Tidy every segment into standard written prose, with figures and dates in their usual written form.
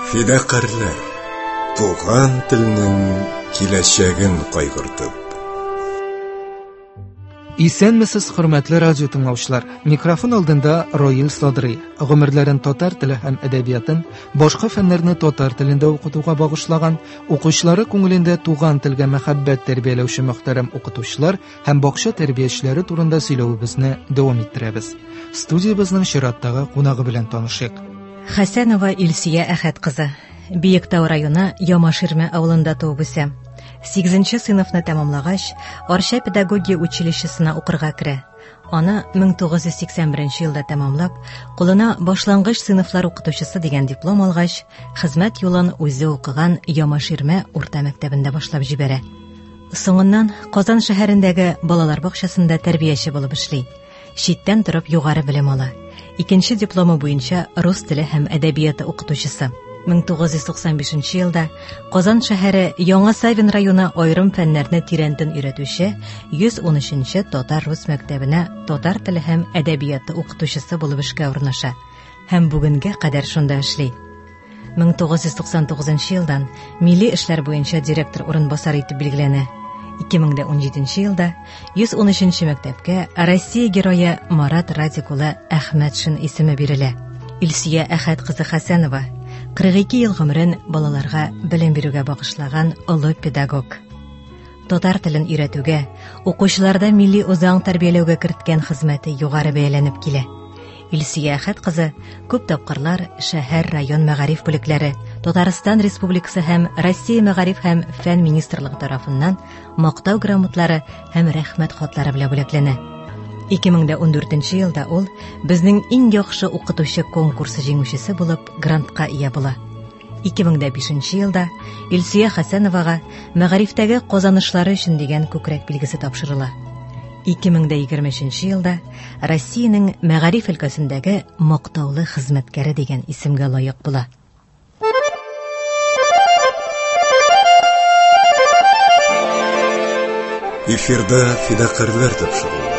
Фидакарьләр, туган телнең киләчәген кайгыртып. Исәнмесез, хөрмәтле радио тыңлаучылар. Микрофон алдында Роил Садрый. Гомерләрен татар теле һәм әдәбиятын, башка фәннәрне татар телендә укытуга багышлаган, укучылары күңелендә туган телгә мәхәббәт тәрбияләүче мөхтәрәм укытучылар һәм бакча тәрбиячеләре турында сөйләвебезне дәвам иттерәбез. Студиябезнең чираттагы кунагы белән танышыйк. Хәсәнова Илсөя Әхәт кызы. Биектау районы Ямаширмә авылында туып үсә. 8 сыйныфны тәмамлагач, Арча педагогия училищесына укырга керә. Аны 1981 елда тәмамлап, кулына башлангыч сыйныфлар укытучысы дигән диплом алгач, хезмәт юлын үзе укыган Ямаширмә урта мәктәбендә башлап җибәрә. Соңыннан Казан шәһәрендәге балалар бакчасында тәрбияче булып эшли. Читтән торып югары белем ала. Икенче дипломы буенча рус теле һәм әдәбияты укытучысы. 1995 елда Казан шәһәре Яңа Савин районы аерым фәннәрне тирәнтен өйрәтүче 113 татар-рус мәктәбенә татар теле һәм әдәбияты укытучысы булып эшкә урнаша һәм бүгенгә кадәр шунда эшли. 1999 елдан милли эшләр буенча директор урынбасары итеп билгеләнә. 2017 елда 113 мәктәпкә Россия герое Марат Радик улы Әхмәтшин исеме бирелә. Илсөя Әхәт кызы Хәсәнова 42 ел гомерен балаларга белем бирүгә багышлаган олы педагог. Татар телен өйрәтүгә, укучыларда милли үзаң тәрбияләүгә керткән хезмәте югары бәяләнеп килә. Илсөя Әхәт кызы күп тапкырлар шәһәр, район мәгариф бүлекләре, Татарстан Республикасы һәм Россия мәгариф һәм фән министрлыгы тарафыннан мактау грамотлары һәм рәхмәт хатлары белән бүләкләнә. 2014 елда ул безнең иң яхшы укытучы конкурсы җиңүчесе булып грантка ия була. 2005 елда Илсөя Хәсәновага мәгарифтәге казанышлары өчен дигән күкрәк билгесе тапшырыла. 2023 елда Россиянең мәгариф өлкәсендәге мактаулы хезмәткәре дигән исемгә лаек була. Эфирда фидакарьләр тапшыруы.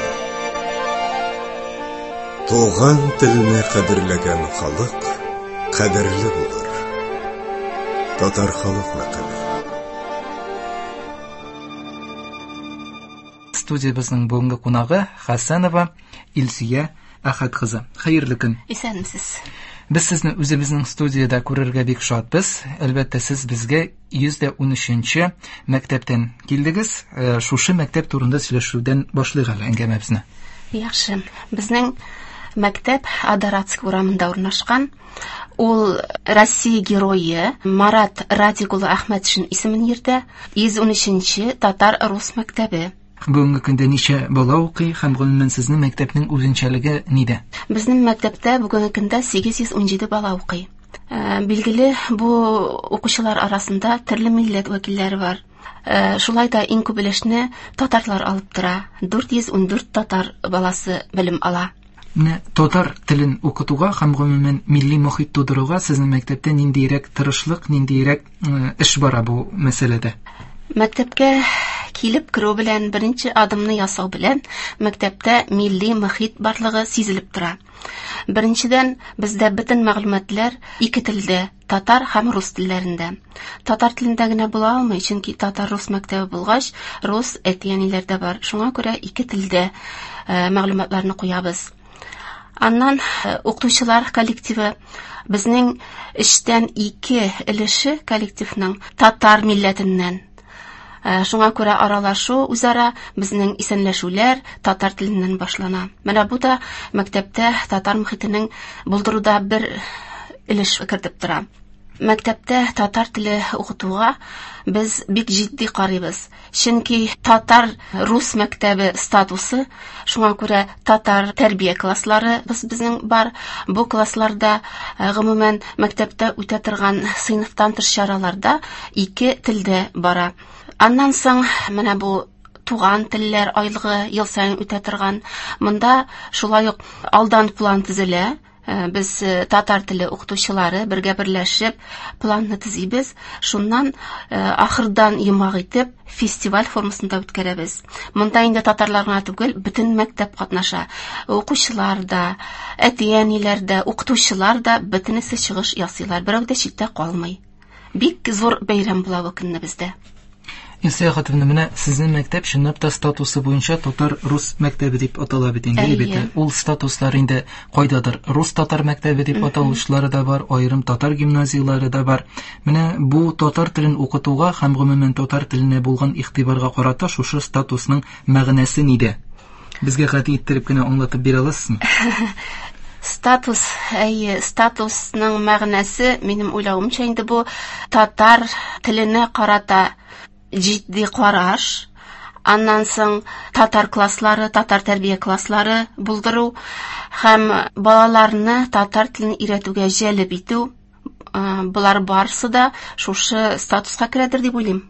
Туган телне кадерләгән халык кадерле булыр. Татар халык мәкале. Студиябезнең бүгенге кунагы Хәсәнова Илсөя Әхәт кызы. Хәерле көн. Исәнмесез. Без сезне үзебезнең студиядә күрергә бик шатбыз. Әлбәттә, сез безгә 113-нче мәктәптән килдегез. Шушы мәктәп турында сөйләшүдән башлыйк әле әңгәмәбезне. Яхшы. Безнең мәктәп Адаратск урамында урнашкан. Ул Россия герое Марат Радик улы Әхмәтшин исемен йөртә. 113-нче татар-рус мәктәбе. Бүгенге көндә ничә бала укый һәм гомумән сезнең мәктәпнең үзенчәлеге нидә? Безнең мәктәптә бүгенге көндә 817 бала укый. Билгеле, бу укучылар арасында төрле милләт вәкилләре бар. Шулай да иң күп өлешне татарлар алып тора. 414 татар баласы белем ала. Менә татар телен укытуга һәм гомумән милли мохит тудыруга сезнең мәктәптә ниндиерәк тырышлык, ниндиерәк эш бара бу мәсьәләдә? Мәктәпкә килеп керү белән, беренче адымны ясау белән мәктәптә милли мохит барлыгы сизелеп тора. Беренчедән, бездә бөтен мәгълүматлар ике телдә, татар һәм рус телләрендә. Татар телендә генә була алмый, чөнки татар-рус мәктәбе булгач, рус әти-әниләр дә бар. Шуңа күрә ике телдә мәгълүматларны куябыз. Аннан укытучылар коллективы безнең эштән ике өлеше коллективның татар милләтеннән. Шуңа күрә аралашу үзара безнең исәнләшүләр татар теленнән башлана. Менә бу да мәктәптә татар мохитенең булдыруда бер өлеш кертеп тора. Мәктәптә татар теле укытуга без бик җитди карыйбыз. Чөнки татар рус мәктәбе статусы, шуңа күрә татар тәрбия класслары безнең бар. Бу классларда гомумән мәктәптә үтә торган сыйныфтан тыш чараларда ике телдә бара. Аннан соң менә бу туган телләр айлыгы ел саен үтә торган. Монда шулай ук алдан план төзелә. Без татар теле укытучылары бергә берләшеп планны төзибез. Шуннан ахырдан йомгак итеп фестиваль формасында үткәрәбез. Монда инде татарлар гына түгел, бөтен мәктәп катнаша. Укучылар да, әти-әниләр дә, укытучылар да бөтенесе чыгыш ясыйлар. Берәү дә читтә калмый. Бик зур бәйрәм була бу көнне бездә. Илсөя Хатовна, менә сезнең мәктәп чынлап та статусы буенча татар-рус мәктәбе дип атала бит инде, бит. Ул статуслар инде кайдадыр рус-татар мәктәбе дип аталучылары да бар, аерым татар гимназияләре дә бар. Менә бу татар телен укытуга һәм гомумән татар теленә булган игътибарга карата шушы статусның мәгънәсе нидә? Безгә гади иттереп кенә аңлатып бирә аласызмы? Статус, әйе, статусның мәгънәсе, минем уйлавымча инде бу татар теленә карата җитди караш, аннан соң татар класслары, татар тәрбия класслары булдыру һәм балаларны татар телен өйрәтүгә җәлеп итү, болар барысы да шушы статуска керәдер дип уйлыйм.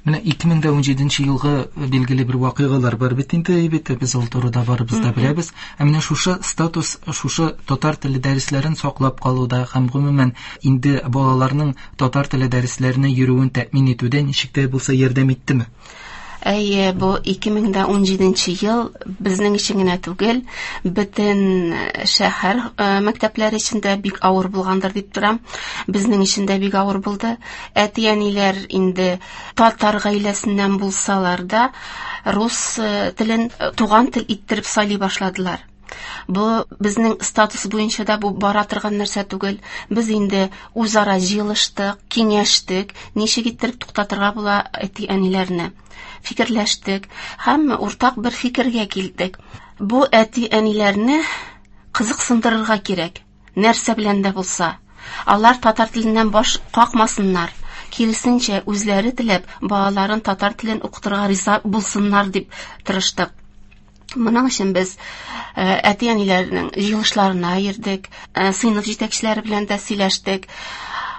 Менә 2017 елгы билгеле бер вакыйгалар бар бит инде, бит без ул турыда барыбыз да беләбез. Ә менә шушы статус, шушы татар теле дәресләрен саклап калуда һәм гомумән инде балаларның татар теле дәресләренә йөрүен тәэмин итүдә ничек тә булса ярдәм иттеме? Әйе, бу 2017 ел безнең өчен генә түгел, бөтен шәһәр мәктәпләре өчен дә бик авыр булгандыр дип торам. Безнең өчен дә бик авыр булды. Әти-әниләр инде татар гаиләсеннән булсалар да, рус телен туган тел иттереп сайлый башладылар. Бу безнең статус буенча да бу бара торган нәрсә түгел. Без инде үзара җыелыштык, киңәштек, ничек иттереп туктатырга була әти-әниләрне. Фикерләштек һәм уртак бер фикергә килдек. Бу әти-әниләрне кызыксындырырга кирәк, нәрсә белән дә булса. Алар татар теленнән баш какмасыннар. Киресенчә, үзләре теләп балаларын татар телен укытырга риза булсыннар дип тырыштык. Моның өчен без әти-әниләрнең җыелышларына йөрдек, сыйныф җитәкчеләре белән дә сөйләштек,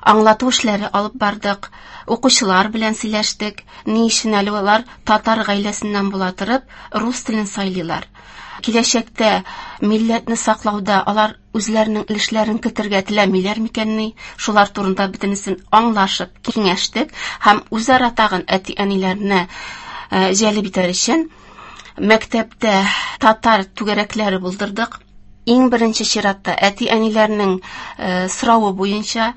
аңлату эшләре алып бардык, укучылар белән сөйләштек. Ни өчен әле алар татар гаиләсеннән була торып рус телен сайлыйлар? Киләчәктә милләтне саклауда алар үзләренең өлешләрен кертергә теләмиләр микәнни? Шулар турында бөтенесен аңлашып, киңәштек һәм үзара тагын әти-әниләрне җәлеп итәр өчен мәктәптә татар түгәрәкләре булдырдык. Иң беренче чиратта әти-әниләрнең соравы буенча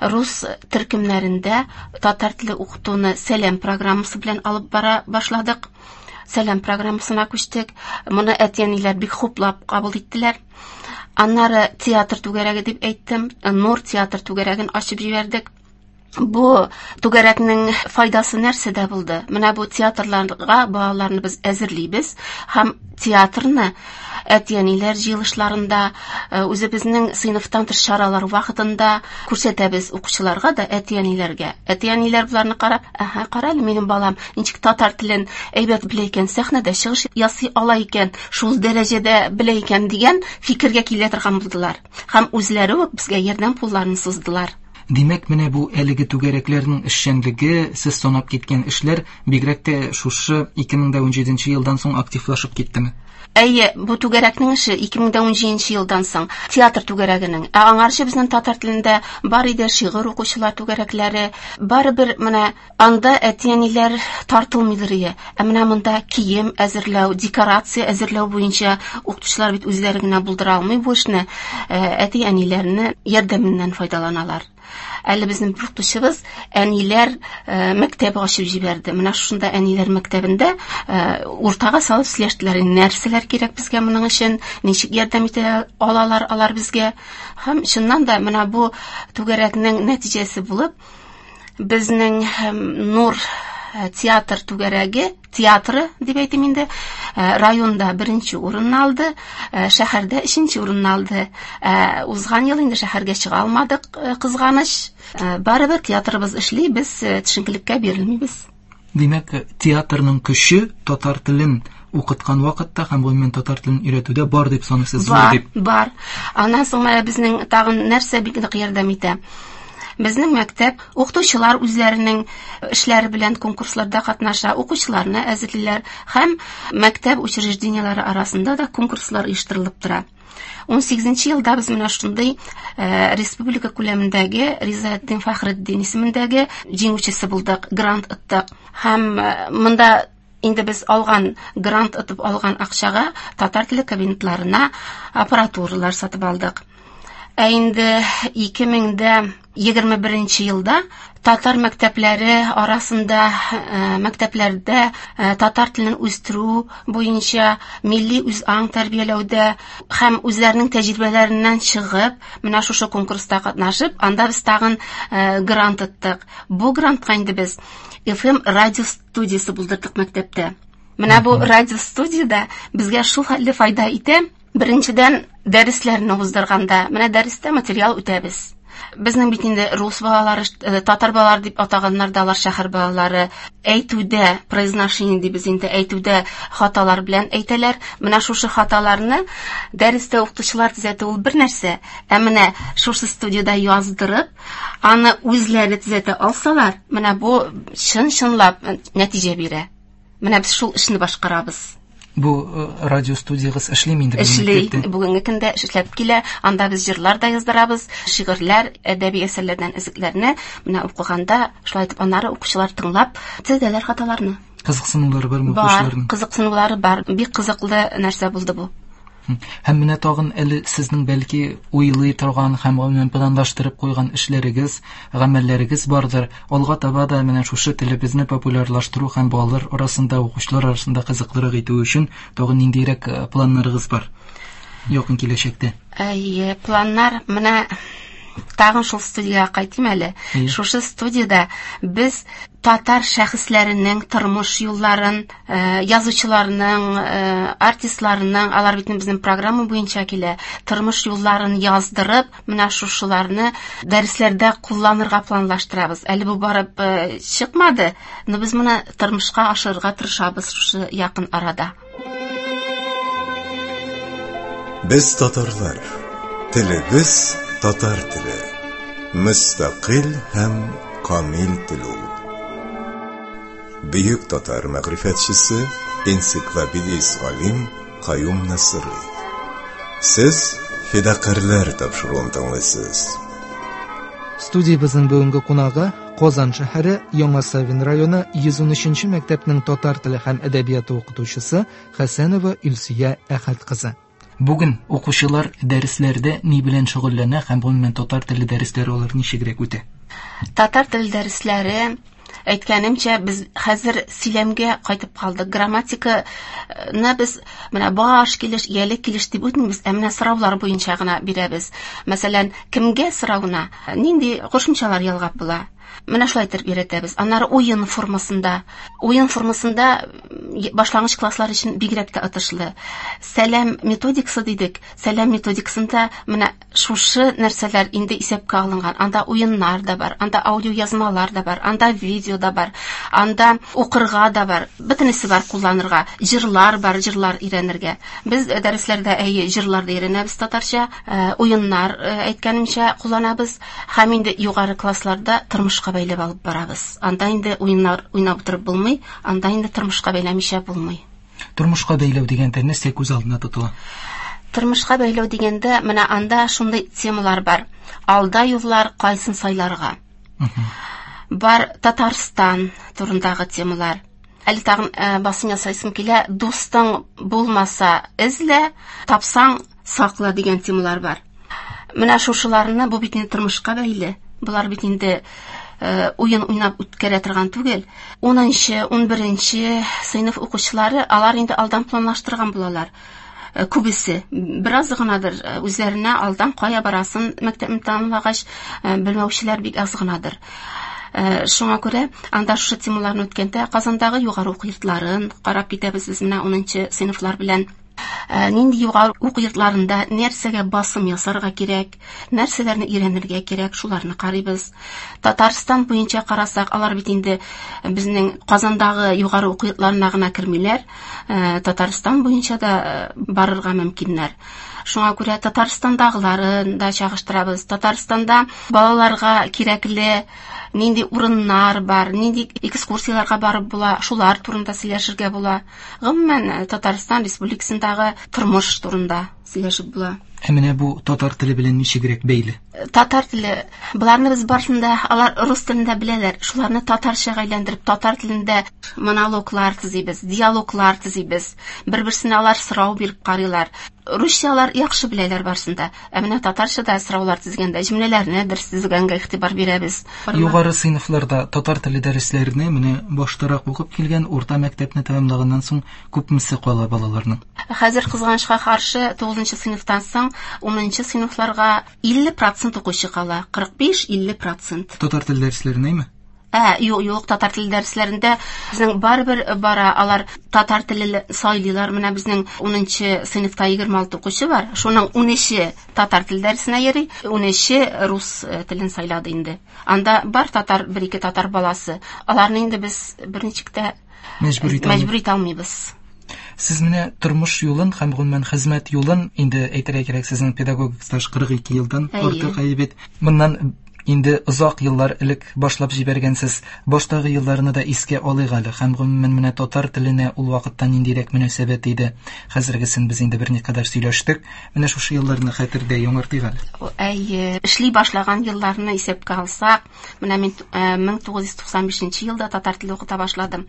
рус төркемнәрендә татар теле укытуны Сәлам программасы белән алып бара башладык. Сәлам программасына күчтек. Моны әти-әниләр бик хуплап кабул иттеләр. Аннары театр түгәрәге дип әйттем. Нур театр түгәрәген ачып җибәрдек. Бу түгәрәкнең файдасы нәрсәдә булды? Менә бу театрларга балаларны без әзерлибез һәм театрны әти-әниләр җыелышларында, үзебезнең сыйныфтан тыш чаралар вакытында күрсәтәбез укучыларга да, әти-әниләргә. Әти-әниләр боларны карап, әһә, кара әле минем балам ничек татар телен әйбәт белә икән, сәхнәдә чыгыш ясый ала икән, шул дәрәҗәдә белә икән дигән фикергә килә торган булдылар. Һәм үзләре үк безгә ярдәм кулларын суздылар. Димәк, менә бу әлеге түгәрәкләрнең эшчәнлеге, сез санап киткән эшләр бигрәк тә шушы 2017 елдан соң активлашып киттеме? Әйе, бу түгәрәкнең эше 2017 елдан соң, театр түгәрәгенең. Ә аңарчы безнең татар телендә бар иде шигырь укучылар түгәрәкләре. Барыбер менә анда әти-әниләр тартылмыйдыр ие. Ә менә монда кием әзерләү, декорация әзерләү буенча укытучылар бит үзләре генә булдыра алмый бу эшне. Әти-әниләрне ярдәменнән файдаланалар. Әле безнең бер укытучыбыз әниләр мәктәбе ачып җибәрде. Менә шушында әниләр мәктәбендә уртага салып сөйләштеләр, нәрсәләр кирәк безгә моның өчен, ничек ярдәм итә алалар алар безгә. Һәм чыннан да менә бу түгәрәкнең нәтиҗәсе булып, безнең Нур театр түгәрәге, театры дип әйтим инде, районда беренче урынны алды, шәһәрдә өченче урынны алды. Узган ел инде шәһәргә чыга алмадык, кызганыч. Барыбер театрыбыз эшли, без төшенкелеккә бирелмибез. Димәк, театрның көче татар телен укыткан вакытта һәм гомумән татар телен өйрәтүдә бар дип саныйсыз, зур Бар, дип. бар. Аннан соң менә безнең тагын нәрсә бик нык ярдәм итә. Безнең мәктәп укытучылар үзләренең эшләре белән конкурсларда катнаша, укучыларны әзерлиләр һәм мәктәп учреждениеләре арасында да конкурслар оештырылып тора. 18 елда без менә шундый республика күләмендәге Ризаэддин Фәхретдин исемендәге җиңүчесе булдык, грант оттык. Һәм монда инде без алган грант отып алган акчага татар теле кабинетларына аппаратуралар сатып алдык. Ә инде 2021 елда татар мәктәпләре арасында мәктәпләрдә татар телен үстерү буенча милли үзаң тәрбияләүдә һәм үзләренең тәҗрибәләреннән чыгып, менә шушы конкурста катнашып, анда без тагын грант оттык. Бу грантка инде без FM радио студиясе булдырдык мәктәптә. Менә бу радио студияда безгә шул хәтле файда итә. Беренчедән, дәресләрне уздырганда, менә дәрестә материал үтәбез. Безнең бит инде рус балалары, татар балалары дип атаганнар да алар шәһәр балалары. Әйтүдә, произношение дибез инде, әйтүдә хаталар белән әйтәләр. Менә шушы хаталарны дәрестә укытучылар төзәтү ул бер нәрсә, ә менә шушы студияда яздырып, аны үзләре төзәтә алсалар, менә бу чын-чынлап нәтиҗә бирә. Менә без шул эшне башкарабыз. Бу радио студиягыз эшлиме инде? Эшли. Бүгенге көндә эшләп килә. Анда без җырлар да яздырабыз, шигырьләр, әдәби әсәрләрдән өзекләрне менә укыганда, шулай итеп аннары укучылар тыңлап төзәтәләр хаталарны. Кызыксынулары бармы укучыларның? Бар, кызыксынулары бар. Бик кызыклы нәрсә булды бу. Һәм менә тагын әле сезнең бәлки уйлый торган һәм гомумән планлаштырып куйган эшләрегез, гамәлләрегез бардыр. Алга таба да менә шушы телебезне популярлаштыру һәм балалар арасында, укучылар арасында кызыклырак итү өчен тагын ниндирәк планнарыгыз бар якын киләчәктә? Әйе, планнар менә тагын шул студиягә кайтыйм әле. Шушы студияда без татар шәхесләренең тормыш юлларын, язучыларның, артистларның, алар бит безнең программа буенча килә, тормыш юлларын яздырып, менә шушыларны дәресләрдә кулланырга планлаштырабыз. Әле бу барып чыкмады, но без моны тормышка ашырырга тырышабыз шушы якын арада. Без татарлар, телебез татар теле, мөстәкыйль һәм камил тел ул. Бөек татар мәгърифәтчесе, энциклопедист галим Каюм Насыйри. Сез Фидакарьләр тапшыруын тыңлыйсыз. Студиябезнең бүгенге кунагы Казан шәһәре Яңа Савин районы 113 мәктәпнең татар теле һәм әдәбияты укытучысы Хәсәнова Илсөя Әхәт кызы. Бүген укучылар дәресләрдә ни белән шөгыльләнә һәм гомумән татар теле дәресләре алар ничегрәк үтә? Татар теле дәресләре, әйткәнемчә, без хәзер сөйләмгә кайтып калдык. Грамматиканы без менә баш килеш, иялек килеш дип үтмибез, ә менә сораулар буенча гына бирәбез. Мәсәлән, кемгә соравына нинди кушымчалар ялгап була? Менә шулай итеп өйрәтәбез. Аннары уен формасында. Уен формасында башлангыч класслар өчен бигрәк тә отышлы. Сәлам методикасы дидек. Сәлам методикасында менә шушы нәрсәләр инде исәпкә алынган. Анда уеннар да бар, анда аудиоязмалар да бар, анда видео да бар, анда укырга да бар. Бөтенесе бар кулланырга. Җырлар бар, җырлар өйрәнергә. Без дәресләрдә әйе җырлар да өйрәнәбез татарча, уеннар әйткәнемчә кулланабыз. Һәм инде югары классларда тормышка бәйләп алып барабыз. Анда инде уеннар уйнап утырып булмый, анда инде тормышка бәйләмичә булмый. Тормышка бәйләү дигәндә нәрсә күз алдына тотыла? Тормышка бәйләү дигәндә менә анда шундый темалар бар. Алда юллар, кайсын сайларга. Бар Татарстан турындагы темалар. Әле тагын басым ясайсым килә, дустың булмаса эзлә, тапсаң сакла дигән темалар бар. Менә шушыларны, бу бит инде тормышка бәйле. Болар бит инде уен уйнап үткәрә торган түгел. 10-нчы, 11-нче сыйныф укучылары, алар инде алдан планлаштырган булалар. Күбесе бераз гынадыр, үзләренә алдан кая барасын мәктәпне тәмамлагач белмәүчеләр бик аз гынадыр. Шуңа күрә анда шушы темаларны үткәндә Казандагы югары уку йортларын карап китәбез без менә 10-нчы сыйныфлар белән. Нинди югары уку йортларында нәрсәгә басым ясарга кирәк, нәрсәләрне өйрәнергә кирәк, шуларны карыйбыз. Татарстан буенча карасак, алар бит инде безнең Казандагы югары уку йортларына гына кермиләр, Татарстан буенча да барырга мөмкиннәр. Шуңа күрә Татарстандагыларын да чагыштырабыз. Татарстанда балаларга кирәкле нинди урыннар бар, нинди экскурсияләргә барып була, шулар турында сөйләшергә була. Гомумән, Татарстан Республикасындагы тормыш турында сөйләшеп була. Ә менә бу татар теле белән ничегрәк бәйле? Татар теле, боларны без барысын да, алар рус телендә беләләр, шуларны татарчага әйләндереп, татар телендә монологлар төзибез, диалоглар төзибез. Бер-берсенә алар сорау биреп карыйлар. Русча алар яхшы беләләр барысын да. Ә менә татарча да сораулар төзегәндә җөмләләрне дөрес төзегәнгә игътибар бирәбез. Югары сыйныфларда татар теле дәресләренә менә баштарак укып килгән урта мәктәпне тәмамлаганнан соң күпмесе кала балаларның? Хәзер кызганычка каршы 9 сыйныфтан соң 10 сыйныфларга 50% укучы кала. 45-50%. Татар теле дәресләренәме? Юк, юк, татар теле дәресләрендә безнең барыбер бара, алар татар теле сайлыйлар. Менә безнең 10 сыйныфта 26 укучы бар. Шуның 13-е татар теле дәресенә йөри, 13-е рус телен сайлады инде. Анда бар татар, бер-ике татар баласы. Аларны инде без берничек тә мәҗбүр итә алмыйбыз. Сез менә тормыш юлын һәм гомумән хезмәт юлын инде әйтергә кирәк, сезнең педагогик стаж 42 елдан артык бит. Моннан инде озак еллар элек башлап җибәргәнсез. Баштагы елларны да искә алыйк әле. Һәм гомумән менә татар теленә ул вакытта ниндирәк мөнәсәбәт иде. Хәзергесен без инде берникадәр сөйләштек. Менә шушы елларны хәтердә яңартыйк әле. Әйе, эшли башлаган елларны исәпкә алсак, менә мин 1995 елда татар теле укыта башладым.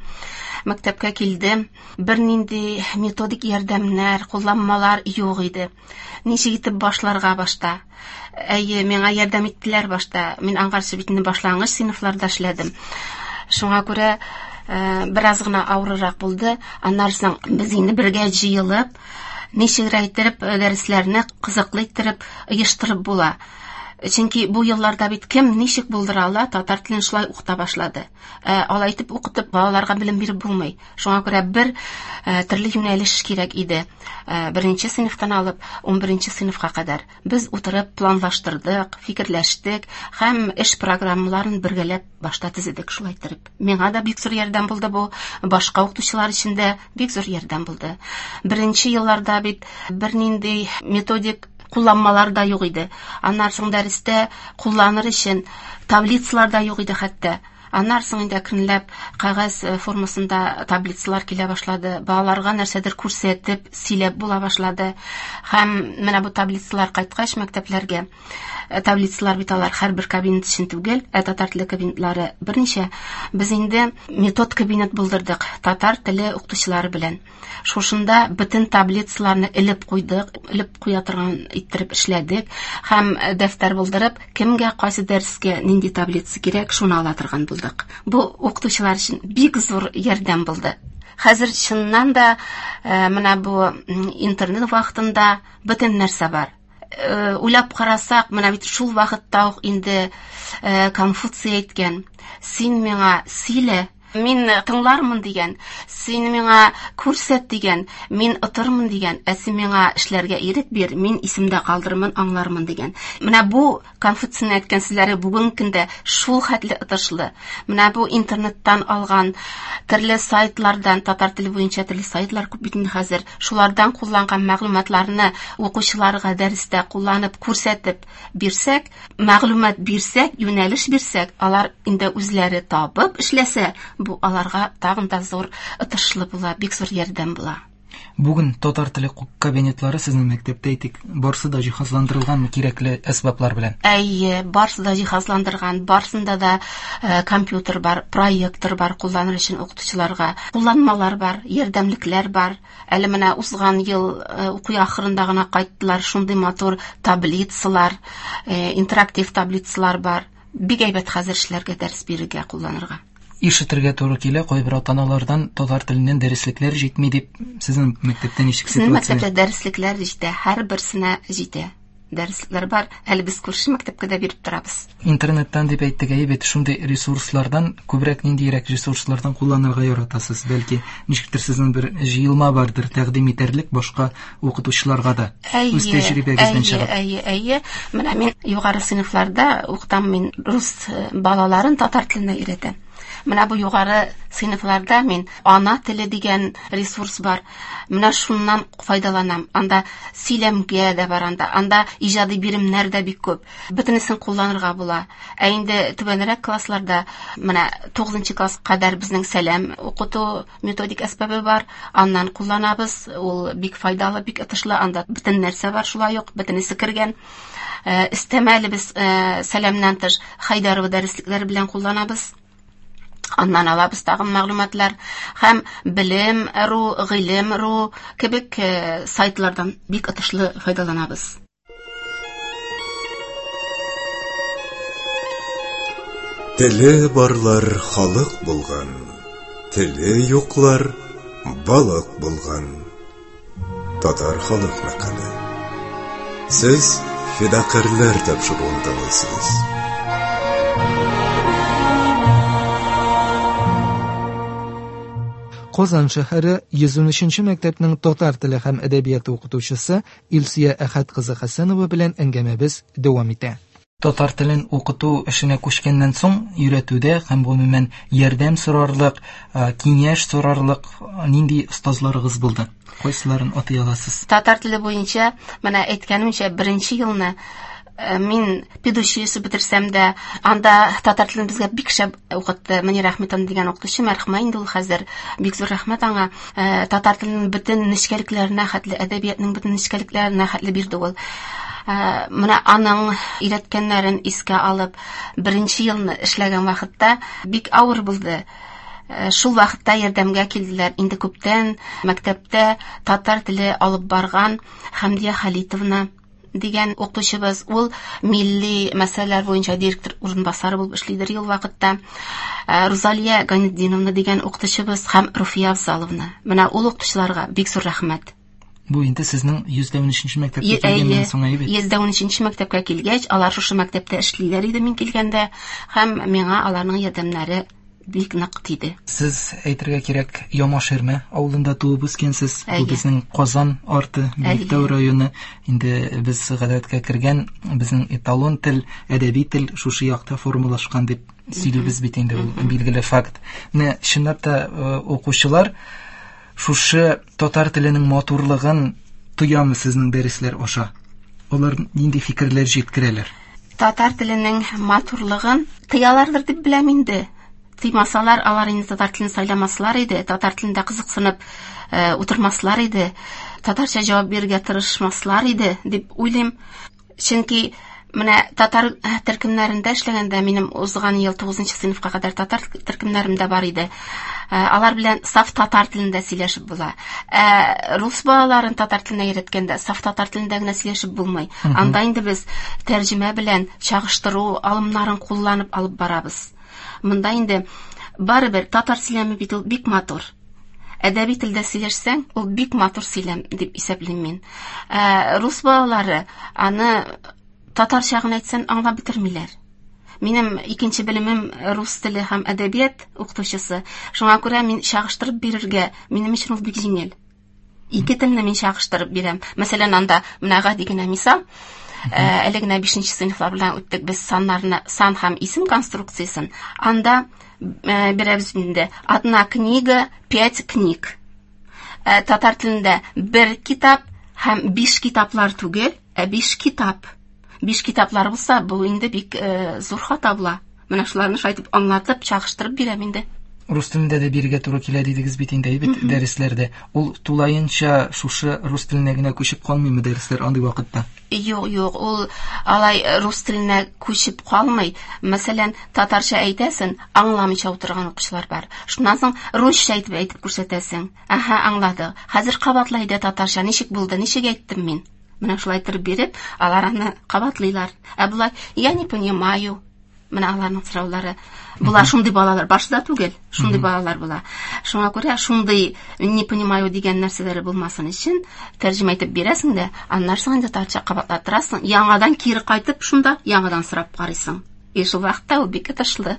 Мәктәпкә килдем. Бернинди методик ярдәмнәр, кулланмалар юк иде. Ничек итеп башларга башта? Әйе, миңа ярдәм иттеләр башта. Мин аңгарчы бит инде башлангыч сыйныфларда эшләдем. Шуңа күрә бераз гына авыррак булды. Аннан соң без инде бергә җыелып, ничегрәк иттереп дәресләрне кызыклы иттереп оештырып була. Чөнки бу елларда бит кем ничек булдыра ала, татар телен шулай укыта башлады. Алай итеп укытып балаларга белем биреп булмый. Шуңа күрә бер төрле юнәлеш кирәк иде. Беренче сыйныфтан алып 11 сыйныфка кадәр без утырып планлаштырдык, фикерләштек һәм эш программаларын бергәләп башта төзедек шулай иттереп. Миңа да бик зур ярдәм булды бу, башка укытучылар өчен дә бик зур ярдәм булды. Беренче елларда бит бернинди методик кулланмалар да юк иде. Аннан соң дәрестә кулланыр өчен таблицалар да юк иде хәтта. Аннан соң инде әкренләп кәгазь формасында таблицалар килә башлады. Балаларга нәрсәдер күрсәтеп, сөйләп була башлады. Һәм менә бу таблицалар кайткач мәктәпләргә, таблицалар бит алар һәрбер кабинет өчен түгел, ә татар теле кабинетлары берничә. Без инде метод кабинет булдырдык татар теле укытучылары белән. Шушында бөтен таблицаларны элеп куйдык, элеп куя торган иттереп эшләдек һәм дәфтәр булдырып, кемгә кайсы дәрескә нинди таблица кирәк, шуны ала торган булдык. Бу укытучылар өчен бик зур ярдәм булды. Хәзер чыннан да менә бу интернет вакытында бөтен нәрсә бар. Уйлап карасак, менә бит шул вакытта ук инде Конфуций әйткән: "Син миңа сөйлә, мин тыңлармын" дигән, "Син миңа күрсәт" дигән, "Мин отырмын" дигән, "Ә син миңа эшләргә ирек бир, мин исемдә калдырмын, аңлармын" дигән. Менә бу Конфуцийның әйткән сүзләре бүгенге көндә шул хәтле отышлы. Менә бу интернеттан алган төрле сайтлардан, татар теле буенча төрле сайтлар күп бит инде хәзер. Шулардан кулланган мәгълүматларны укучыларга дәрестә кулланып, күрсәтеп бирсәк, мәгълүмат бирсәк, юнәлеш бирсәк, алар инде үзләре табып эшләсә, бу аларга тагын да зур отышлы була, бик зур ярдәм була. Бүген татар теле кабинетлары сезнең мәктәптә әйтик, барсы да җиһазландырылганмы кирәкле әсбаплар белән? Әйе, барсы да җиһазландырган, барсында да компьютер бар, проектор бар кулланыр өчен укытучыларга, кулланмалар бар, ярдәмлекләр бар. Әле менә узган ел уку ахырында гына кайттылар, шундый матур таблицалар, интерактив таблицалар бар. Бик әйбәт хәзер эшләргә, дәрес бирергә, кулланырга. Ишетергә туры килә, кайбер ата-аналардан татар теленнән дәреслекләр җитми дип. Сезнең мәктәптә ничек ситуация? Безнең мәктәптә дәреслекләр җитә, һәрберсенә җитә. Дәреслекләр бар, әле без күрше мәктәпкә дә биреп торабыз. Интернеттан дип әйттек, әйе бит, шундый ресурслардан күбрәк ниндирәк ресурслардан кулланырга яратасыз? Бәлки, ничектер сезнең бер җыелма бардыр тәкъдим итәрлек башка укытучыларга да, үз тәҗрибәгездән чыгып. Әйе, әйе. Менә мин югары сыйныфларда укытам, мин рус балаларын татар теленә өйрәтәм. Менә бу югары сыйныфларда мин ана теле дигән ресурс бар. Менә шуннан файдаланам. Анда сөйләмгә дә бар анда. Анда иҗади биремнәр дә бик күп. Бөтенесен кулланырга була. Ә инде түбәнрәк классларда менә 9 класс кадәр безнең сәлам укыту методик әсбабы бар. Аннан кулланабыз. Ул бик файдалы, бик отышлы. Анда бөтен нәрсә бар шулай ук, бөтенесе кергән. Өстәмә әле без сәламнән тыш Хайдарова дәреслекләре белән кулланабыз. Аннан алабыз тагын мәгълүматлар һәм белем.ру, гыйлем.ру кебек сайтлардан бик отышлы файдаланабыз. Теле барлар халык булган, теле юклар балык булган. Татар халык мәкале. Сез фидакарьләр тапшыруын тыңлыйсыз. Казан шәһәре 113 мәктәпнең татар теле һәм әдәбияты укытучысы Илсөя Әхәт кызы Хәсәнова белән әңгәмәбез дәвам итә. Татар телен укыту эшенә күчкәннән соң өйрәтүдә һәм гомумән ярдәм сорарлык, киңәш сорарлык нинди остазларыгыз булды? Кайсыларын атый аласыз? Татар теле буенча, менә әйткәнемчә, беренче елны мин педучилище бетерсәм дә, анда татар телен безгә бик шәп укытты Мөнир Әхмәтовна дигән укытучы, мәрхүмә инде ул хәзер. Бик зур рәхмәт аңа. Татар теленең бөтен нечкәлекләренә хәтле, әдәбиятның бөтен нечкәлекләренә хәтле бирде ул. Менә аның өйрәткәннәрен искә алып, беренче елны эшләгән вакытта бик авыр булды. Шул вакытта ярдәмгә килделәр. Инде күптән мәктәптә татар теле алып барган Хәмдия Халитовна дигән укытучыбыз, ул милли мәсьәләләр буенча директор урынбасары булып эшлидер ул вакытта. Рузалия Гайнетдиновна дигән укытучыбыз һәм Руфия Афзаловна. Менә ул укытучыларга бик зур рәхмәт. Бу инде сезнең 113 мәктәпкә килгәннән соң әйбәт. 113 мәктәпкә килгәч, алар шушы мәктәптә эшлиләр иде мин килгәндә, һәм миңа аларның ярдәмнәре бик нык тиде. Сез әйтергә кирәк, Ямаширмә авылында туып үскәнсез. Бу безнең Казан арты, Биектау районы. Инде без гадәткә кергән, безнең эталон тел, әдәби тел шушы якта формалашкан дип сөйлибез бит инде, ул билгеле факт. Менә чынлап та укучылар шушы татар теленең матурлыгын тоямы сезнең дәресләр аша? Алар нинди фикерләр җиткерәләр? Татар теленең матурлыгын тоялардыр дип беләм инде. Тыймасалар, алар инде татар телен сайламаслар иде, татар телендә кызыксынып утырмаслар иде, татарча җавап бирергә тырышмаслар иде дип уйлыйм. Чөнки менә татар төркемнәрендә эшләгәндә, минем узган ел 9 сыйныфка кадәр татар төркемнәрем дә бар иде. Алар белән саф татар телендә сөйләшеп була. Рус балаларын татар теленә өйрәткәндә саф татар телендә генә сөйләшеп булмый. Анда инде без тәрҗемә белән чагыштыру алымнарын кулланып алып барабыз. Монда инде барыбер татар сөйләме бит ул бик матур. Әдәби телдә сөйләшсәң, ул бик матур сөйләм дип исәплим мин. Рус балалары аны татарча гына әйтсәң аңлап бетермиләр. Минем икенче белемем рус теле һәм әдәбият укытучысы. Шуңа күрә мин чагыштырып бирергә, минем өчен ул бик җиңел. Ике телне мин чагыштырып бирәм. Мәсәлән, анда менә гади генә мисал. Әле генә 5 сыйныфлар белән үттек без саннарны, сан һәм исем конструкциясен. Анда бирәбез инде одна книга, 5 книг. Татар телендә бер китап һәм 5 китаплар түгел, ә 5 китап. 5 китаплар булса, бу инде бик зур хата була. Менә шуларны шулай итеп аңлатып, чагыштырып бирәм инде. Рус телендә дә бирергә туры килә дидегез бит инде, әйбәт дәресләрдә. Ул тулаенча шушы рус теленә генә күчеп калмыймы дәресләр андый вакытта? Юк, юк, ул алай рус теленә күчеп калмый. Мәсәлән, татарча әйтәсең, аңламыйча утырган укучылар бар. Шуннан соң русча әйтеп күрсәтәсең. Аһа, аңлады. Хәзер кабатлай да татарча, ничек булды, ничек әйттем мин? Менә шулай итеп биреп, алар аны кабатлыйлар. Ә болай, я не понимаю. Менә аларның сораулары була, шундый балалар башта түгел, шундый балалар була. Шуңа күрә шундый не понимаю дигән нәрсәләре булмасын өчен тәрҗемә итеп бирәсең дә, аннан соң инде татарча кабатлаттырасың, яңадан кире кайтып шунда яңадан сорап карыйсың. И шул вакытта ул бик отышлы.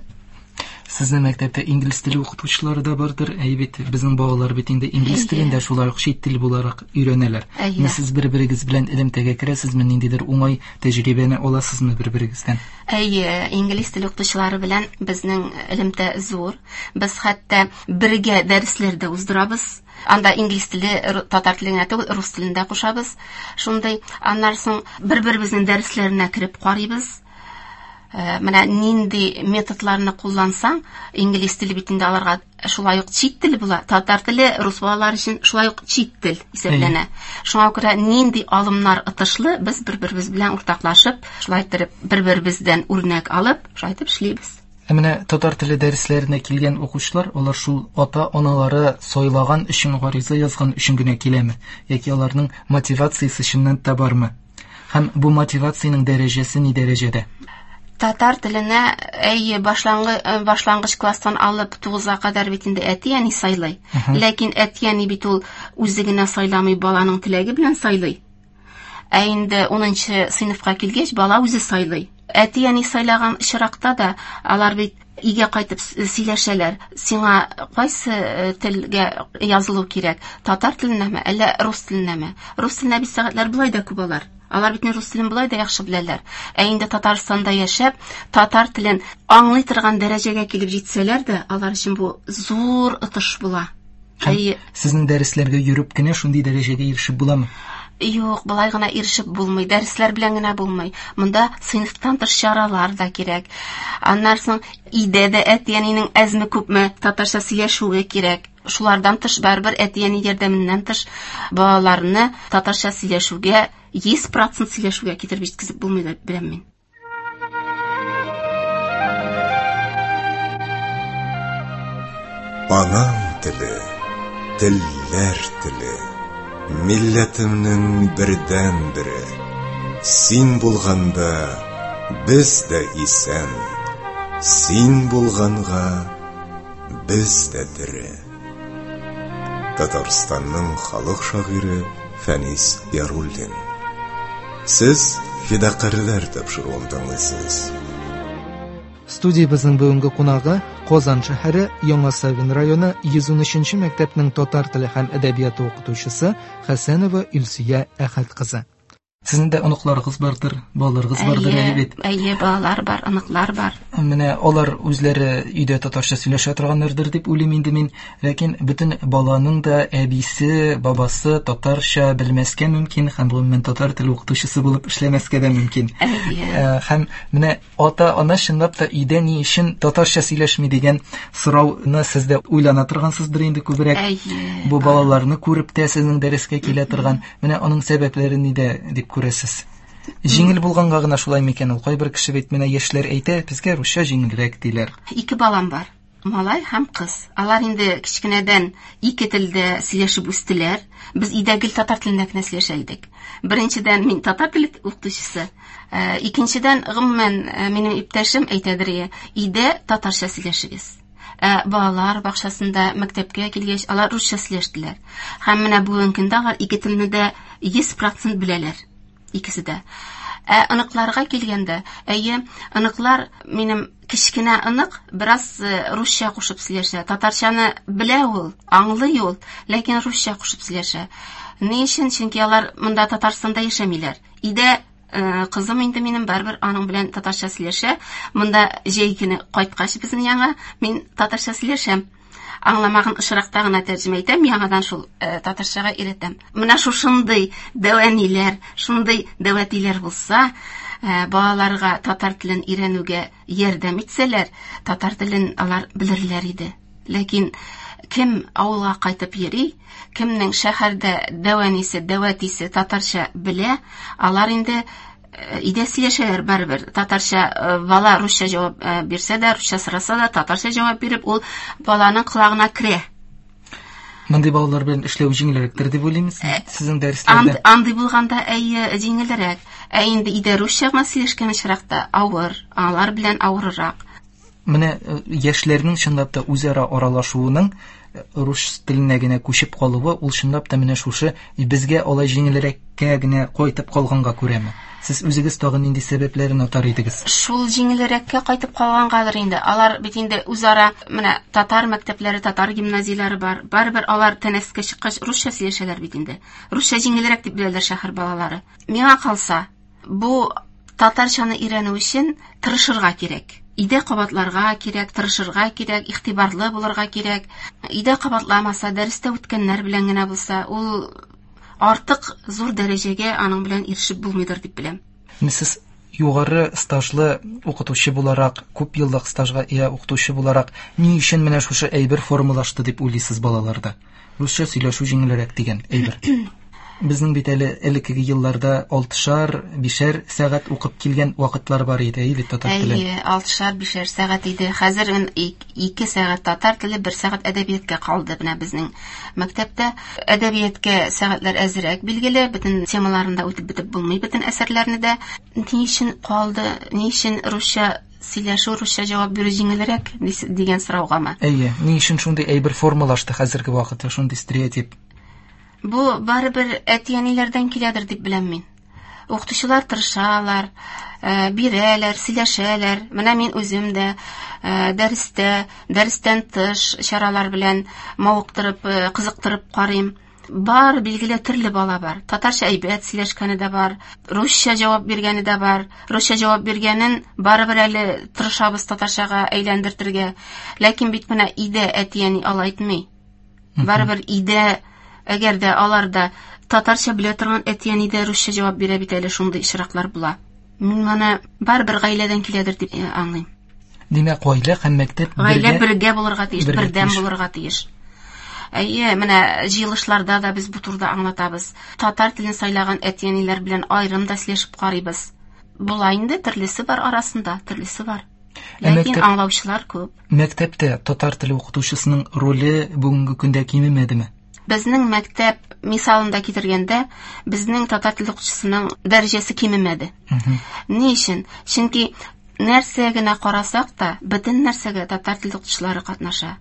Сезнең мәктәптә инглиз теле укытучылары да бардыр. Әй бит, безнең балалар бит инде инглиз телен дә шулай ук чит тел буларак өйрәнәләр. Менә сез бер-берегез белән элемтәгә керәсезме, ниндидер уңай тәҗрибәне аласызмы бер-берегездән? Әйе, инглиз теле укытучылары белән безнең элемтә зур. Без хәтта бергә дәресләр дә уздырабыз. Анда инглиз теле, татар теле генә түгел, рус телен дә кушабыз. Шундый, аннан соң бер-беребезнең дәресләренә кереп карыйбыз. Менә нинди методларны куллансаң, инглиз теле бит инде аларга шулай ук чит тел була. Татар теле рус балалары өчен шулай ук чит тел исәпләнә. Шуңа күрә нинди алымнар отышлы, без бер-беребез белән уртаклашып, шулай итеп бер-беребездән үрнәк алып, шулай итеп эшлибез. Ә менә татар теле дәресләренә килгән укучылар, алар шул ата-аналары сайлаган өчен, гариза язган өчен генә киләме? Яки аларның мотивациясе чыннан та бармы? Һәм бу мотивациянең дәрәҗәсе ни дәрәҗәдә? Татар теленә, әйе, башлангыч класстан алып 9-га кадәр бит инде әти-әни сайлый. Ләкин әти-әни бит ул үзе генә сайламый, баланың теләге белән сайлый. Ә инде 10 сыйныфка килгәч, бала үзе сайлый. Әти-әни сайлаган очракта да алар бит өйгә кайтып сөйләшәләр. Сиңа кайсы телгә язылу кирәк? Татар теленәме, әллә рус теленәме? Рус теленә бит сәгатьләр болай да күп алар. Алар бит рус телен болай да яхшы беләләр. Ә инде Татарстанда яшәп, татар телен аңлый торган дәрәҗәгә килеп җитсәләр дә, алар өчен бу зур отыш була. Һәм сезнең дәресләргә йөреп кенә шундый дәрәҗәгә ирешеп буламы? Юк, болай гына ирешеп булмый, дәресләр белән генә булмый. Монда сыйныфтан тыш чаралар да кирәк. Аннан соң өйдә дә әти-әнинең әзме-күпме татарча сөйләшүе кирәк. Шулардан тыш барыбер әти-әни ярдәменнән тыш балаларны татарча сөйләшүгә 100% сөйләшүгә китереп җиткезеп булмый дип беләм мин. Анам теле, телләр теле, милләтемнең бердәнбере. Син булганда без дә исән, син булганга без дә тере. Татарстанның халык шагыйре Фәнис Яруллин. Сез Фидакарьләр тапшыруын тыңлыйсыз. Студиябезнең бүгенге кунагы Казан шәһәре Яңа Савин районы 113 мәктәпнең татар теле һәм әдәбияты укытучысы Хәсәнова Илсөя Әхәт кызы. Сезнең дә оныкларыгыз бардыр, балаларыгыз бардыр әле бит. Әйе, балалар бар, оныклар бар. Менә алар үзләре өйдә татарча сөйләшә торганнардыр дип уйлыйм инде мин. Ләкин бөтен баланың да әбисе, бабасы татарча белмәскә мөмкин һәм гомумән татар теле укытучысы булып эшләмәскә дә мөмкин. Әйе. Һәм менә ата-ана чынлап та өйдә ни өчен татарча сөйләшми дигән сорауны сез дә уйлана торгансыздыр инде күбрәк. Әйе. Бу балаларны күреп тә сезнең дәрескә килә торган. Менә аның сәбәпләре нидә дип күрәсез? Җиңел булганга гына шулай микән ул? Кайбер кеше бит менә яшьләр әйтә, безгә русча җиңелрәк диләр. Ике балам бар. Малай һәм кыз. Алар инде кечкенәдән ике телдә сөйләшеп үстеләр. Без өйдә гел татар телендә генә сөйләшә идек. Беренчедән, мин татар теле укытучысы. Икенчедән, гомумән, минем иптәшем әйтәдер, өйдә татарча сөйләшегез. Балалар бакчасында, мәктәпкә килгәч, алар русча сөйләштеләр. Һәм менә бүгенге көндә алар ике телне дә 100% беләләр. Икесе дә. Ә оныкларга килгәндә, әйе, оныклар, минем кечкенә онык бераз русча кушып сөйләшә. Татарчаны белә ул, аңлый ул, ләкин русча кушып сөйләшә. Ни өчен? Чөнки алар монда Татарстанда яшәмиләр. Өйдә кызым инде минем барыбер аның белән татарча сөйләшә. Монда җәй көне кайткач безнең яңа мин татарча сөйләшәм. Аңламаган очракта гына тәрҗемә итәм, яңадан шул татарчага өйрәтәм. Менә шушындый дәвәниләр, шундый дәвәтиләр булса, балаларга татар телен өйрәнүгә ярдәм итсәләр, татар телен алар белерләр иде. Ләкин кем авылга кайтып йөри, кемнең шәһәрдә дәвәнисе, дәвәтисе татарча белә, алар инде өйдә сөйләшәләр барыбер. Татарча бала русча җавап бирсә дә, русча сораса да, татарча җавап биреп, ул баланың колагына керә. Мондый балалар белән эшләү җиңелрәктер дип уйлыймыз сезнең дәресләрдә? Андый булганда, әйе, җиңелрәк. Ә инде өйдә русча гына сөйләшкән очракта авыр, алар белән авыррак. Менә яшьләрнең чынлап та үзара аралашуының рус теленә генә күчеп калуы, ул чынлап та менә шушы безгә алай җиңелрәккә генә кайтып калганга күрәме? Сез үзегез тагын нинди сәбәпләрен атар идегез? Шул җиңелрәккә кайтып калгангадыр инде. Алар бит инде үзара менә татар мәктәпләре, татар гимназияләре бар. Барыбер алар тәнәфескә чыккач русча сөйләшәләр бит инде. Русча җиңелрәк дип беләләр шәһәр балалары. Миңа калса, бу татарчаны өйрәнү өчен тырышырга кирәк. Өйдә кабатларга кирәк, тырышырга кирәк, игътибарлы булырга кирәк. Өйдә кабатламаса, дәрестә үткәннәр белән генә булса, ул артык зур дәрәҗәгә аның белән ирешеп булмыйдыр дип беләм. Сез югары стажлы укытучы буларак, күп еллык стажга ия укытучы буларак, ни өчен менә шушы әйбер формалашты дип уйлыйсыз балаларда? Русча сөйләшү җиңелрәк дигән әйбер. Безнең бит әле элеккеге елларда 6-шар, 5-шәр сәгать укып килгән вакытлар бар иде, әйе бит, татар телен. Әйе, 6-шар, 5-шәр сәгать иде. Хәзер 2 сәгать татар теле, 1 сәгать әдәбиятка калды менә безнең мәктәптә. Әдәбиятка сәгатьләр әзрәк билгеле, бөтен темаларын да үтеп бетеп булмый, бөтен әсәрләрне дә. Ни өчен калды, ни өчен русча сөйләшү, русча җавап бирү җиңелрәк дигән сораугамы? Әйе, ни өчен шундый әйбер формалашты хәзерге вакытта, шундый стереотип? Бу барыбер әти-әниләрдән киләдер дип беләм мин. Укытучылар тырышалар, бирәләр, сөйләшәләр. Менә мин үзем дә дәрестә, дәрестән тыш чаралар белән мавыктырып, кызыктырып карыйм. Бар, билгеле, төрле бала бар. Татарча әйбәт сөйләшкәне дә бар, русча җавап биргәне дә бар. Русча җавап биргәнен барыбер әле тырышабыз татарчага әйләндертергә. Ләкин бит менә өйдә әти-әни алай итми. Барыбер өйдә, әгәр дә алар да татарча белә торган әти-әни дә русча җавап бирә бит әле, шундый очраклар була. Мин моны барыбер гаиләдән киләдер дип аңлыйм. Димәк, гаилә һәм мәктәп гаилә бергә булырга тиеш, бердәм булырга тиеш. Әйе, менә җыелышларда да без бу турыда аңлатабыз. Татар телен сайлаган әти-әниләр белән аерым да сөйләшеп карыйбыз. Була инде, төрлесе бар арасында, төрлесе бар. Ләкин аңлаучылар күп. Мәктәптә татар теле укытучысының роле бүгенге көндә кимемәдеме? Безнең мәктәп мисалында китергәндә, безнең татар теле укытучысының дәрәҗәсе кимемәде. Ни өчен? Чөнки нәрсә генә карасак та, бөтен нәрсәгә татар теле укытучылары катнаша.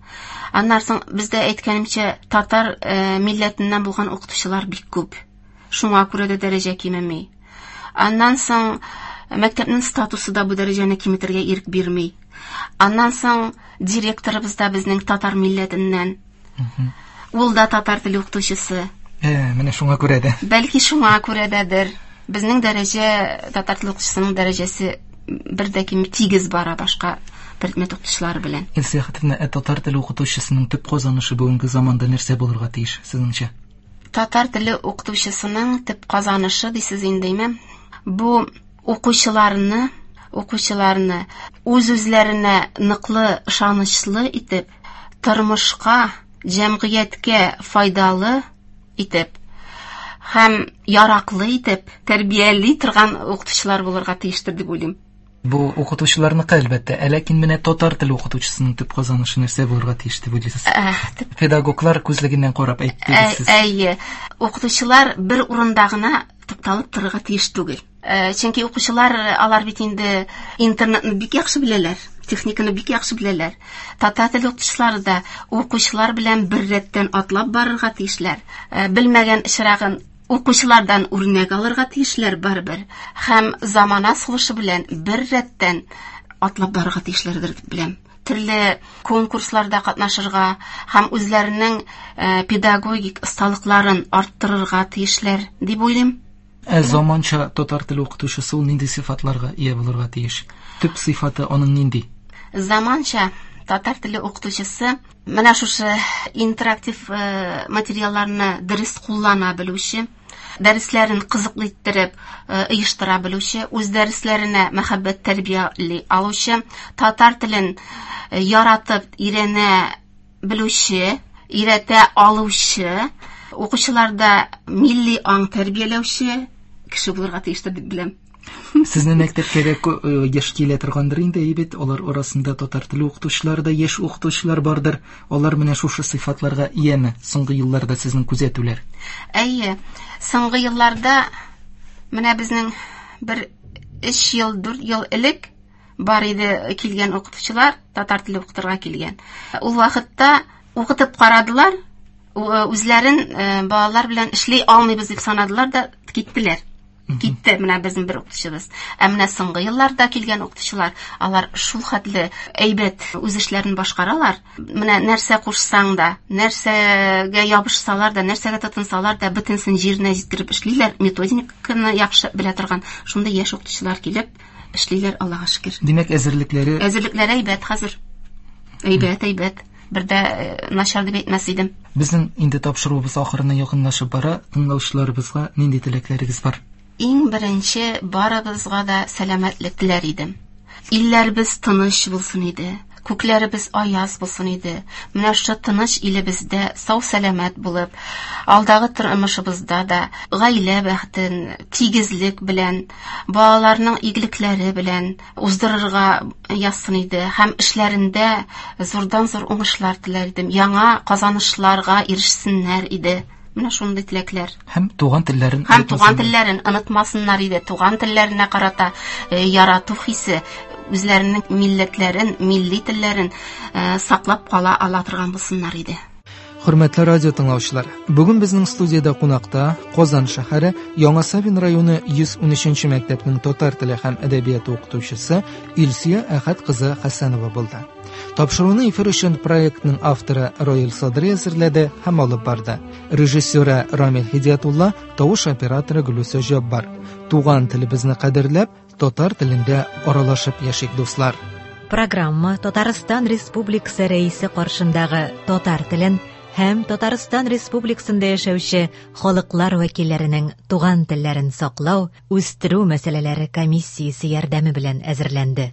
Аннан соң бездә әйткәнемчә, татар милләтеннән булган укытучылар бик күп. Шуңа күрә дә дәрәҗә кимеми. Аннан соң мәктәпнең статусы да бу дәрәҗәне киметергә ирек бирми. Аннан соң директорыбыз да безнең татар милләтеннән. Ул да татар теле укытучысы. Менә шуңа күрә дә. Бәлки шуңа күрә дәдер. Безнең дәрәҗә, татар теле укытучысының дәрәҗәсе бер дә кими, тигез бара башка предмет укытучылары белән. Илсөя Хәтимовна, ә татар теле укытучысының төп казанышы бүгенге заманда нәрсә булырга тиеш, сезнеңчә? Татар теле укытучысының төп казанышы дисез инде, әйме? Бу укучыларны үз-үзләренә ныклы, ышанычлы итеп, тормышка, җәмгыятькә файдалы итеп һәм яраклы итеп тәрбияли торган укытучылар булырга тиештер дип уйлыйм. Бу укытучыларныкы әлбәттә, ә ләкин менә татар теле укытучысының төп казанышы нәрсә булырга тиеш дип уйлыйсыз? Педагоглар күзлегеннән карап әйттегез сез. Әйе, укытучылар бер урында гына тукталып торырга тиеш түгел. Чөнки укучылар алар бит инде интернетны бик яхшы беләләр, техниканы бик яхшы беләләр. Татар теле укытучылары да укучылар белән бер рәттән атлап барырга тиешләр. Белмәгән очрагын укучылардан үрнәк алырга тиешләр барыбер. Һәм замана сулышы белән бер рәттән атлап барырга тиешләрдер дип беләм. Төрле конкурсларда катнашырга һәм үзләренең педагогик осталыкларын арттырырга тиешләр дип уйлыйм. Ә заманча татар теле укытучысы ул нинди сыйфатларга ия булырга тиеш? Төп сыйфаты аның нинди? Заманча татар теле укытучысы менә шушы интерактив материалларны дөрес куллана белүче, дәресләрен кызыклы иттереп оештыра белүче, үз дәресләренә мәхәббәт тәрбияли алучы, татар телен яратып өйрәнә белүче, өйрәтә алучы, укучыларда милли аң тәрбияләүче кеше булырга тиештер дип беләм. Сезнең мәктәпкә дә яшь килә торгандыр инде, әйе бит, алар арасында татар теле укытучылары да, яшь укытучылар бардыр. Алар менә шушы сыйфатларга ияме соңгы елларда сезнең күзәтүләр? Әйе, соңгы елларда менә безнең бер 3 ел, 4 ел элек бар иде килгән укытучылар, татар теле укытырга килгән. Ул вакытта Укытып карадылар, үзләрен балалар белән эшли алмыйбыз дип санадылар да киттеләр. Китте менә безнең бер укытучыбыз. Ә менә соңгы елларда килгән укытучылар, алар шул хәтле әйбәт үз эшләрен башкаралар. Менә нәрсә кушсаң да, нәрсәгә ябышсалар да, нәрсәгә тотынсалар да, бөтенсен җиренә җиткереп эшлиләр. Методиканы яхшы белә торган шундый яшь укытучылар килеп эшлиләр, Аллага шөкер. Димәк, әзерлекләре Әзерлекләре әйбәт хәзер. Әйбәт, әйбәт. Бер дә начар дип әйтмәс идем. Безнең инде тапшыруыбыз ахырына якынлашып бара. Тыңлаучыларыбызга нинди теләкләрегез бар? Иң беренче барыбызга да сәламәтлек теләр идем. Илләребез тыныч булсын иде. Күкләребез аяз булсын иде. Менә шушы тыныч илебездә сау-сәламәт булып, алдагы тормышыбызда да гаилә бәхетен тигезлек белән, балаларның игелекләре белән уздырырга язсын иде һәм эшләрендә зурдан-зур уңышлар теләр идем. Яңа казанышларга ирешсеннәр иде. Менә шундый теләкләр. Һәм туган телләрен Һәм туган телләрен онытмасыннар иде. Туган телләренә карата ярату хисе, үзләренең милләтләрен, милли телләрен саклап кала ала торган булсыннар иде. Хөрмәтле радио тыңлаучылар, бүген безнең студиядә кунакта Казан шәһәре Яңа Савин районы 113 мәктәпнең татар теле һәм әдәбияты укытучысы Илсөя Әхәт кызы Хәсәнова булды. Тапшыруны эфир өчен проектның авторы Роил Садри әзерләде һәм алып барды. Режиссеры Рамил Һидиятулла, тавыш операторы Гөлүсә Җаббар. Туган телебезне кадерләп, татар телендә аралашып яшик, дуслар. Программа Татарстан Республикасы Рәисе каршындагы татар телен һәм Татарстан Республикасында яшәүче халыклар вәкилләренең туган телләрен саклау, үстерү мәсьәләләре комиссиясе ярдәме белән әзерләнде.